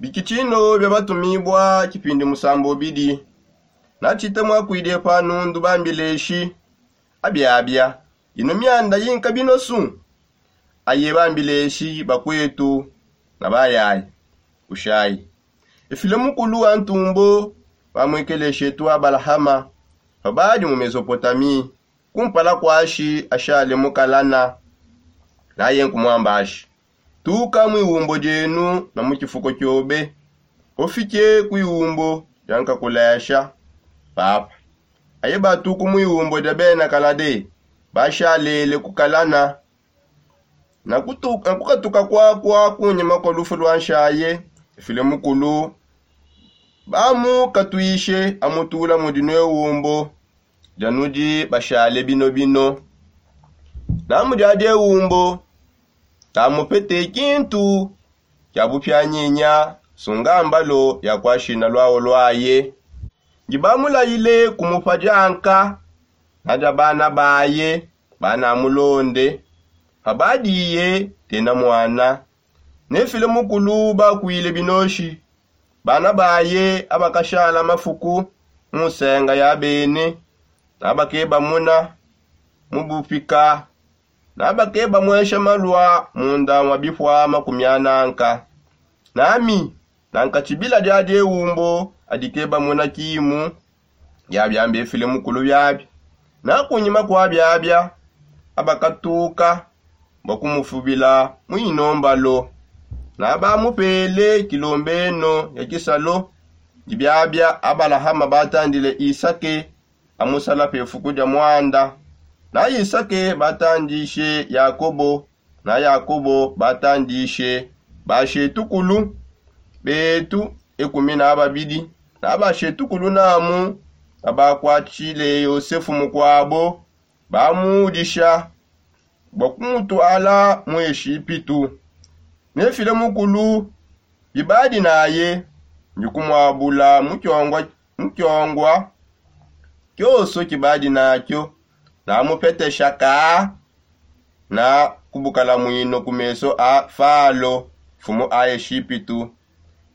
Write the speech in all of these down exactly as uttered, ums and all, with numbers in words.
Bikitshino bia batumibua kipindi musambo bidi. Natshite muakuidi pa nundu bambileshi abiabia. Ino mianda yinka binosu? Aye bambileshi bakuetu na bayayi. Kushayi efile mukulu wa ntumbo, bamuikeleshi etu abalahama, pabadi mu mesopotamie, kumpala kuashi ashale mukalana. Naye nkumuambashi, tuka mu iwumbo dienu na mu kifuko kiobe, ofike ku iwumbo dia nkakulasha. Papa, aye batuku mu iwumbo dia bena kalade, bashalele kukalana. Na kukatuka kwakua kunyima kua lufu lua nshaye, efile mukulu bamukatuishe amutula mudi nuewumbo dia nudi bashale binobino. Na mudi adi ewumbo, tamupete kintu kia bupianyinya, sunga mbalo ya kuashina luawo luaye. Ndi bamulayile kumupa dianka na dia bana baye, bana amulonde. Pabadiye tena muana, nefile mukulu bakuile binoshi. Bana baye abakashala mafuku mu nsenga ya bene, nabakeba muna mu bupika, nabakeba muesha malua munda mua bipuama kumiananka. Nami nanka tshibila dia diewumbo adikeba muna kimu. Biabiambi efile mukulu biabi. Na kunyima kua biabia, abakatuka bua kumufubila mu inombalo, na bamupele kilombeno ya kisalo. Ndi biabia abalahama batandile isake amusala pefuku dia muanda, na isake batandishe yakobo, na yakobo batandishe bashetukulu betu ekumi na babidi. Na bashetukulu namu babakuatshile yosefu mukuabo, bamuudisha bua kumutuala mu eshipitu. Nefile mukulu bibadi naye, ndi kumuabula mu kiongua kioso kibadi nakio, namupetesha kaa na kubukalamuino ku meso a falo, mfumu a eshipitu.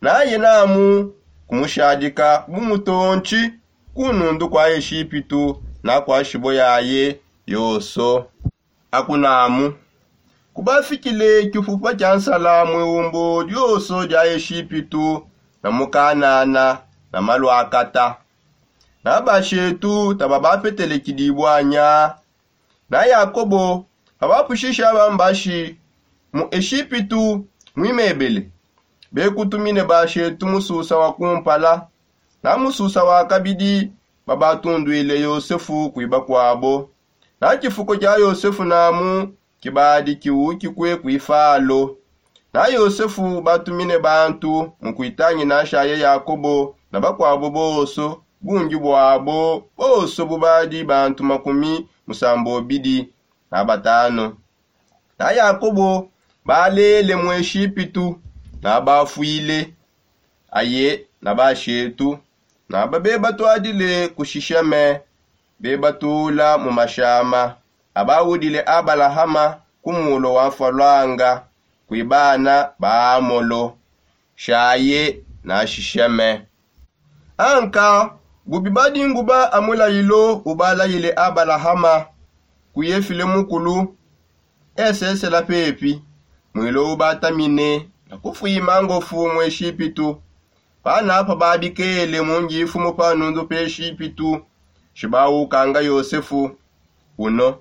Naye namu kumushadika bu mutontshi ku nundu kua eshipitu na kua shibo yaye yoso. Akunamu kubafikile kipupa kia nsala mu iwumbo dioso dia eshipitu na mu kanana na maluakata. Na bashetu taba bapetele kidibua nya. Na yakobo abapushisha bambashi mu eshipitu muimebele, bekutumine bashetu mususa wa kumpala. Na mususa wa kabidi babatunduile yosefu kuiba kuabo. Na tshifuko tshia yosefu namu tshibadi tshiwukikue kui falo. Na yosefu batumine bantu mu kuitangina nshaye yakobo na bakuabo bonso, bungi buabo bonso bubadi bantu makumi musambobidi na batanu. Na yakobo balele mu eshipitu, na bafuile aye na bashetu, na babe batuadile ku shisheme, bebatula mu mashama abaudile abalahama ku mulo wa mfalwanga, kui bana ba amolo, shaye na shisheme. Anka bubi badinguba a mulayilo ubalayile abalahama, kuye file mukulu esesela pepi, mwilo ubatamine na kufuima ngofu mu eshipitu. Panapa babikele mu ngifumu pa nundu pe eshipitu, shibawukanga yosefu uno,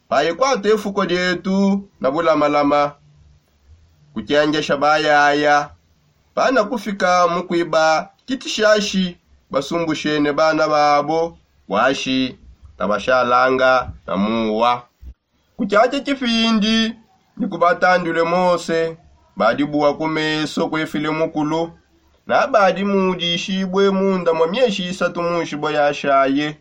paye kuata efuko dietu na bulamalama, kukengesha bayaya. Pana kufika mu kuiba tshitishashi, basumbushene bana babo buashi tabashalanga na muwa. Ku tshiatshi tshipindi ne kubatandule mose, badi bua ku meso kuefile mukulu, na badi mudishibue munda mua mieshi isatu mu nshibo yashaye.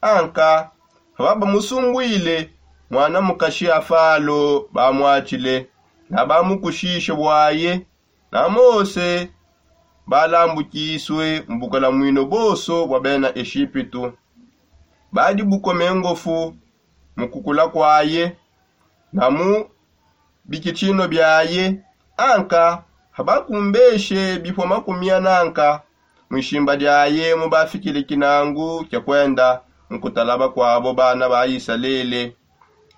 Anka pababamusumbuile muana mukashi a falo, bamuatshile na bamukushishe buaye. Na mose balambukisue mu bukalamuino bonso bua bena eshipitu. Badi bukome ngofu mu kukula kuaye na mu bikitshino biaye. Anka Habakumbeshe bipua makumi ananka mu ishimba diaye mu bafikile kinangu kia kuenda mu kutala bakuabo bana ba Isalele.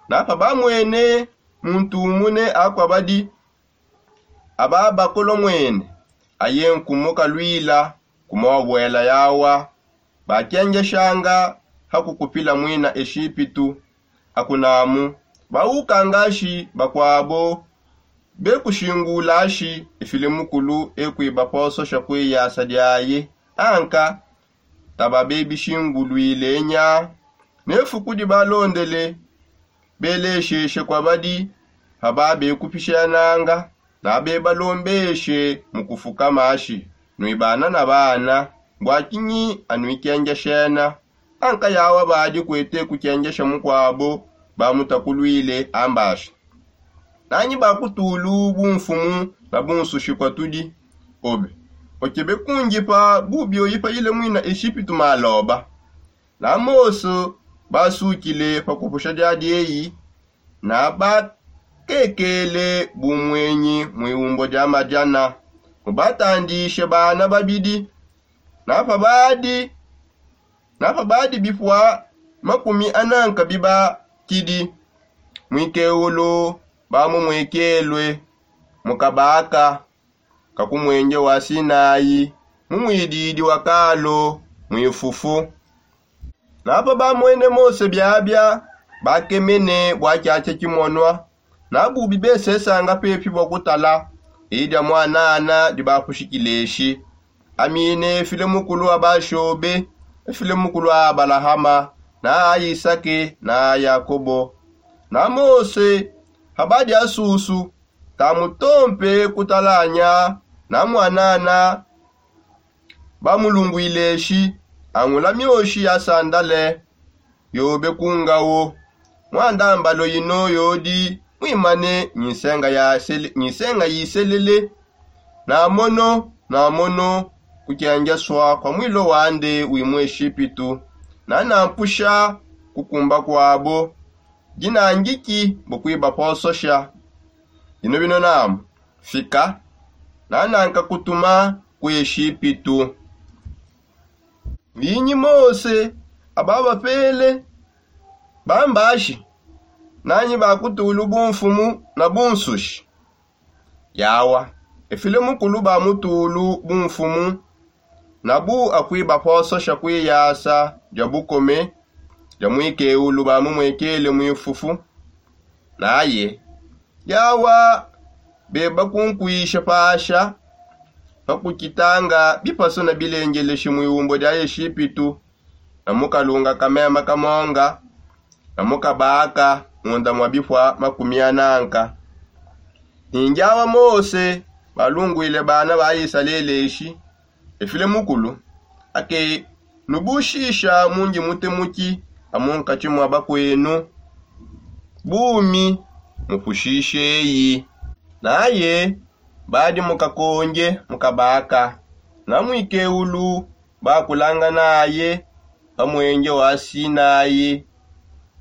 Na pa bamwene muntu umune akua badi aba bakolomwene aye nkumu kaluila ku muabuela yawa bakengeshanga ha kukupila muina Eshipitu. Akunamu baukangashi bakuabo bekushingulashi efile mukulu ekuibapososha kuiyasa diaye anka taba bebishingulwile nya. Nefuku dibalondele belesheshe kwa badi haba bekupishananga na bebalombeshe mu kufuka mashi nuibana na bana bua kinyi anuikengeshena. Anka yawa badi kuete kukengesha mukuabo bamutakulwile ambashi nanyi bakutulu bumfumu na bunsushi kwa tudi obe okebe kungipa bubi oyipayile muina Eshipitu maloba. Na Mose basukile pa kupusha dia dieyi na bakekele bumwenyi mu iumbo dia madiana mu batandishe bana babidi na pa badi na pa badi bipua makumi ananka bibakidi muikeulu bamumuikelue mu kabaka ka ku muenje wa Sinai mu muididi wa kalo muifufu. Na pa bamwene Mose biabia bakemene bua kiakia kimonua na bubi besesanga pepi bua kutala idi dia muanana dibapushikileshi. Amine efile mukulu wa bashobe efile mukulu wa Abalahama na a Isake na a Yakobo. Na Mose habadi asusu tamutompe kutalanya na muanana bamulungwile eshi angula mioshi ya sandale yobe ku ngawo. Muandambalo ino yodi muimane nyisenga yiselele na mono na mono kukengesua kua muilo wande wi mu Eshipitu na nampusha kukumba kuabo dinangiki bua kuibapososha. Dino bino namu fika nananka kutuma ku Eshipitu. Mbinyi Mose ababapele bambashi nanyi bakutulu bumfumu na bunsushi? Yawa efile mukulu bamutulu bumfumu na bu akuibapososha kuiyasa dia bukome dia muikeulu bamumuekele muifufu. Naye yawa bebakunkuisha pasha pa kukitanga bipasu na bilengeleshi mu iumbo dia Eshipitu na mu kalunga ka mema ka monga na mu kabaka munda mua bipua makumi ananka. Ninjawa Mose balungwile bana ba Isalele eshi efile mukulu ake nubushisha mundi mutemuki amu nkatshi mua bakuenu bumi mupushisheyi. Naye badi mu kakonge mu kabaka na muikeulu bakulanganaye pa muenje wa Sinayi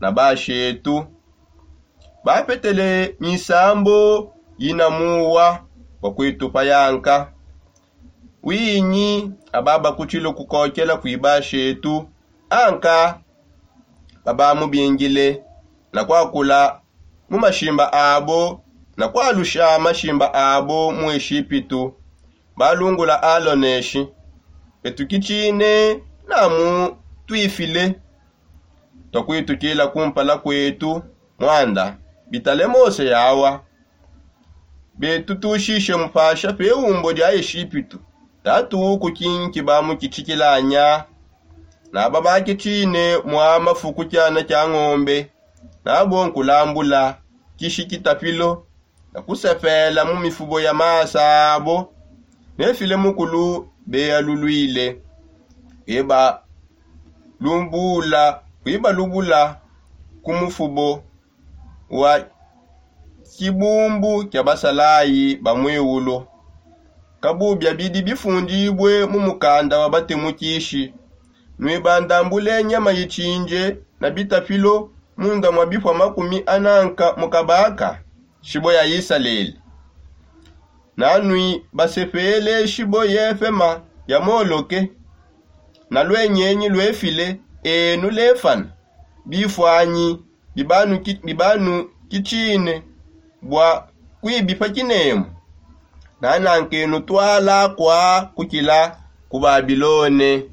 na bashetu bapetele misambu yina muwa bua kuitupa yanka. Winyi aba bakutshile kukokela kui bashetu anka babamubingile na kuakula mu mashimba abo na kualusha mashimba abo mu Eshipitu. Balungula Aloneshi betukitshine namu tuifile twakuitukila kumpala kuetu muanda bitale Mose yawa betutushishe mupasha pe umbo dia Eshipitu tatu kukinki bamukitshikilanya. Naba bakitshine mua mafuku kiana kia ngombe nabo nkulambula kishi kitapilo na kusepela mu mifubo ya masa abo nefile mukulu beyalulwile kuibalubula ku mufubo wa kibumbu kia basalayi ba muiulu. Kabubia bidi bifundibue mu mukanda wa batemukishi nuibandambule nyama itshindie na bitapilo munda mua bipua makumi ananka mu kabaka shibue ya Isalele. Nanui basepele shibo yepema ya moloke, na luenyenyi luefile enu lefana bifuanyi bibanukitshine bua kuibipa kinemu. Nanankenu twala kua kukila ku babilone.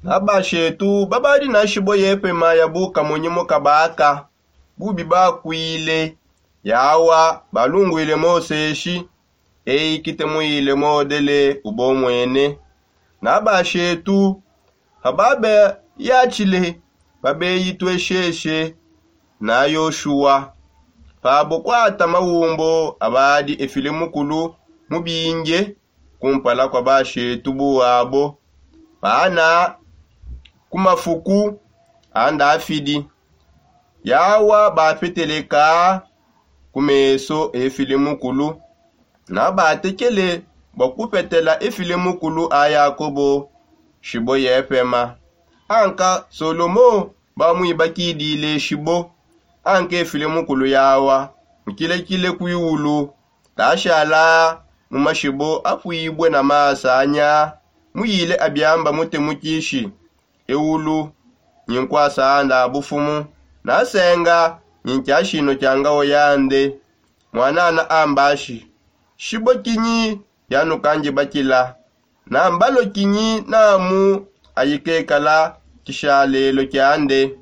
Na bashetu babadi na shibo yepema ya bukamunyi mu kabaka bubi bakuile yawa balunguile moseshi, eyi kite muile modele ubomwene. Na bashetu pababe yatshile babeyitwesheshe na yoshuwa pabo kuata mawumbo abadi efile mukulu mubinge kumpala kua bashetu buabo pana ku mafuku a ndafidi. Yawa bapeteleka ku meso efile mukulu na batekele bua kupetela efile mukulu a yakobo shibo yepema. Anka solomo bamuibakidile shibo. Anka efile mukulu yawa mukilekile kuiwulu tashala mu mashibo apuibue na masanya muyile abiamba mutemukishi. Ewulu nyi nkuasa anda bufumu nasenga nyi nkiashino kia ngawo yande. Mwanana ambashi shibo kinyi yanukandibakila na mbalo kinyi namu ayikekala tshishalelo kiande.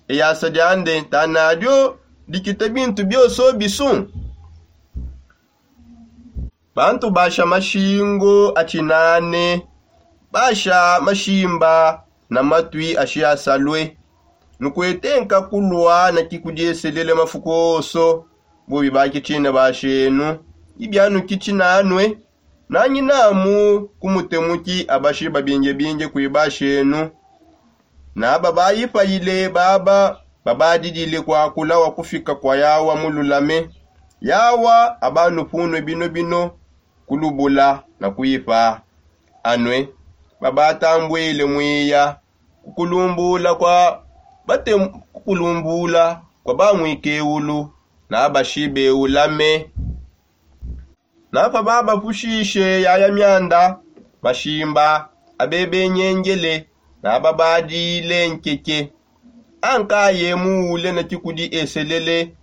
Eyasa diande tanadio dikita bintu bioso bisu. Bantu basha mashingo atshinane basha mashimba na matui ashiasalue nukuetenka kulua na kikudieselele mafuku oso. Bubi bakitshine bashenu ibianukitshi nanue nanyi namu ku mutemuki abashi babingebinge kui bashenu. Na babayipayile baba babadidile kuakula wa kufika kua yawa mululame. Yawa abanupunue binobino kulubula na kuipa anue babatambwile muiya kukulumbula kua bate kukulumbula kua bamuikewulu na bashibe ulame. Napa babapushishe yaya mianda mashimba abebenyengele na babadile nkeke ankaye muule na kikudi eselele.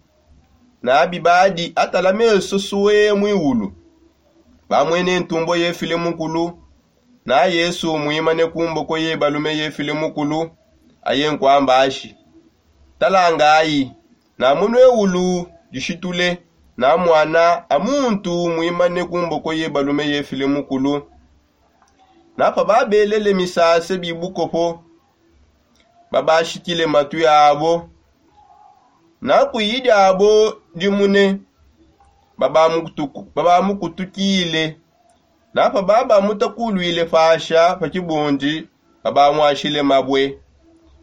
Na bibadi atala meso sue muiwulu bamwene ntumbo yefile mukulu na yesu muimane ku mboko ye balume yefile mukulu. Aye nkuamba ashi talangayi na munue ulu dishitule na muana a muntu muimane ku mboko ye balume yefile mukulu. Napa babelele misase bibukopo babashikile matui abo na kuyi diabo dimune babamukutukile. Napa babamutakulwile pasha pa kibundi babamwashile mabue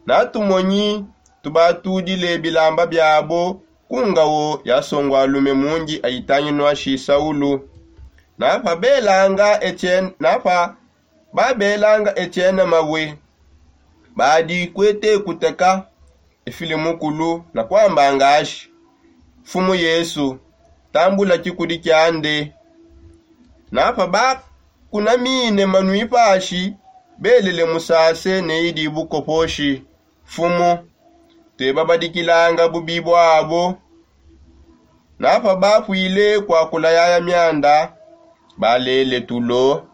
na tumonyi tubatudile bilamba biabo ku ngawo ya songualume mundi ayitanginua shi saulu. Napa babelanga etiene mabue badi kuete kuteka efile mukulu na kuambanga ashi mfumu yesu tambula kikudi kiande. Napa bakunamine manui pashi belele musase ne idi bukoposhi mfumu tuebabadikilanga bubi buabo. Napa bapuile kuakula yaya mianda balele tulo.